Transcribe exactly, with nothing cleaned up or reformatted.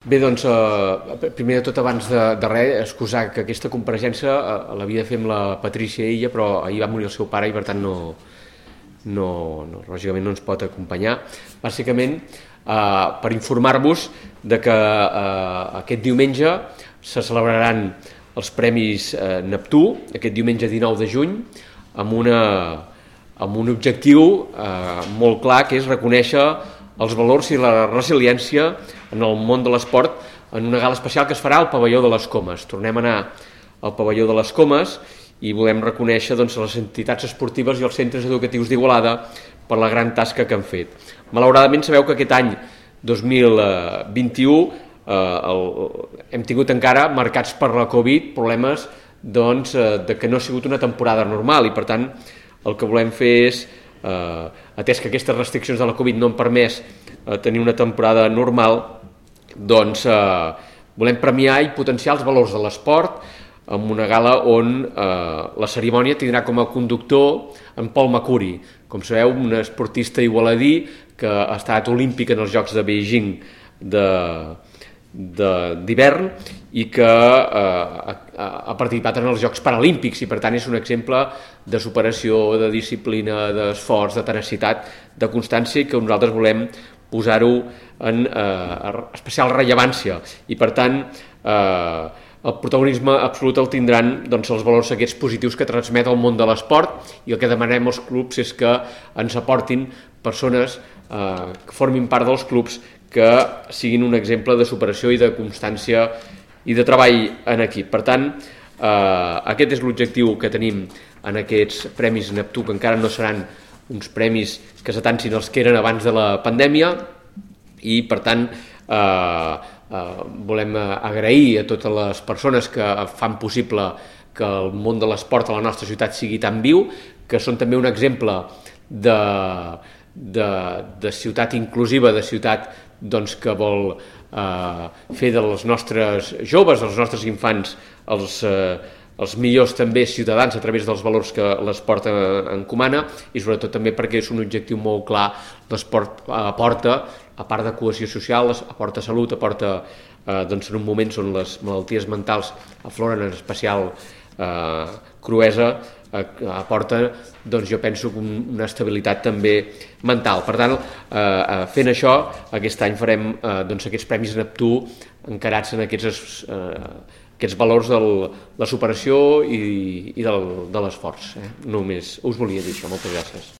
Bé, doncs, eh, primer de tot, abans de, de res, excusar que aquesta compareixença eh, l'havia de fer amb la Patrícia ella, però ahir va morir el seu pare i per tant no, no, no lògicament no ens pot acompanyar. Bàsicament, eh, per informar-vos de que eh, aquest diumenge se celebraran els Premis eh, Neptú, aquest diumenge dinou de juny, amb, una, amb un objectiu eh, molt clar, que és reconèixer els valors i la resiliència en el món de l'esport en una gala especial que es farà al pavelló de les Comes. Tornem a anar al pavelló de les Comes i volem reconèixer doncs, les entitats esportives i els centres educatius d'Igualada per la gran tasca que han fet. Malauradament sabeu que aquest any dos mil vint-i-u eh, el, hem tingut encara marcats per la Covid problemes doncs, eh, de que no ha sigut una temporada normal i per tant el que volem fer és eh, atès que aquestes restriccions de la Covid no han permès eh, tenir una temporada normal, doncs eh, volem premiar i potenciar els valors de l'esport amb una gala on eh, la cerimònia tindrà com a conductor en Pol Macuri, com sabeu, un esportista igualadí que ha estat olímpic en els Jocs de Beijing de d'hivern i que eh, ha participat en els Jocs Paralímpics i per tant és un exemple de superació, de disciplina, d'esforç, de tenacitat, de constància i que nosaltres volem posar-ho en eh, especial rellevància i per tant eh, el protagonisme absolut el tindran doncs, els valors aquests positius que transmet el món de l'esport i el que demanem als clubs és que ens aportin persones eh, que formin part dels clubs que siguin un exemple de superació i de constància i de treball en equip. Per tant, eh, aquest és l'objectiu que tenim en aquests Premis Neptú, que encara no seran uns premis que s'atancin els que eren abans de la pandèmia i, per tant, eh, eh, volem agrair a totes les persones que fan possible que el món de l'esport a la nostra ciutat sigui tan viu, que són també un exemple de, de, de ciutat inclusiva, de ciutat doncs, que vol eh, fer dels nostres joves, dels nostres infants, els, eh, els millors també ciutadans a través dels valors que l'esport encomana i sobretot també perquè és un objectiu molt clar. L'esport aporta, a part de cohesió social, aporta salut, aporta eh, doncs, en un moment on les malalties mentals afloren en especial eh, cruesa, eh, aporta, doncs jo penso, una estabilitat també mental. Per tant, eh, fent això, aquest any farem eh, doncs, aquests Premis Neptú encarats en aquests, eh, aquests valors de la superació i, i del, de l'esforç. Eh? Només us volia dir això. Moltes gràcies.